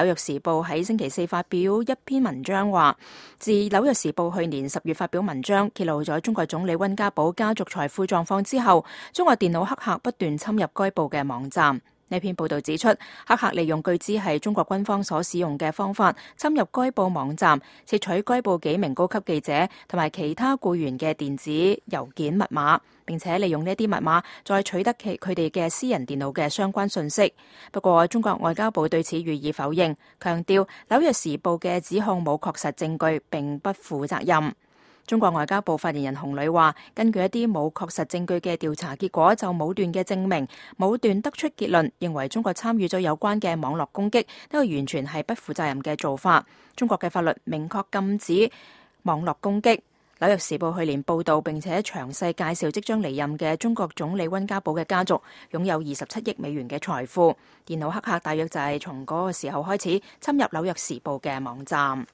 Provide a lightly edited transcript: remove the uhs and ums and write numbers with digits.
紐約時報喺星期四發表一篇文章話，自紐約時報去年10月發表文章揭露咗中國總理溫家寶家族財富狀況之後，中國電腦黑客不斷侵入該報嘅網站。呢篇報道指出，黑客利用據知係中國軍方所使用嘅方法，侵入該報網站，竊取該報幾名高級記者同埋其他僱員嘅電子郵件密碼，並且利用呢啲密碼再取得佢哋嘅私人電腦嘅相關信息。不過，中國外交部對此予以否認，強調紐約時報嘅指控冇確實證據，並不負責任。中國外交部發言人洪磊話，根據一啲冇確實證據嘅調查結果，就武斷嘅證明，武斷得出結論，認為中國參與咗有關嘅網絡攻擊，呢個完全係不負責任嘅做法。中國嘅法律明確禁止網絡攻擊。紐約時報去年報道並且詳細介紹即將離任嘅中國總理溫家寶嘅家族擁有27億美元嘅財富。電腦黑客大約就係從嗰個時候開始侵入紐約時報嘅網站。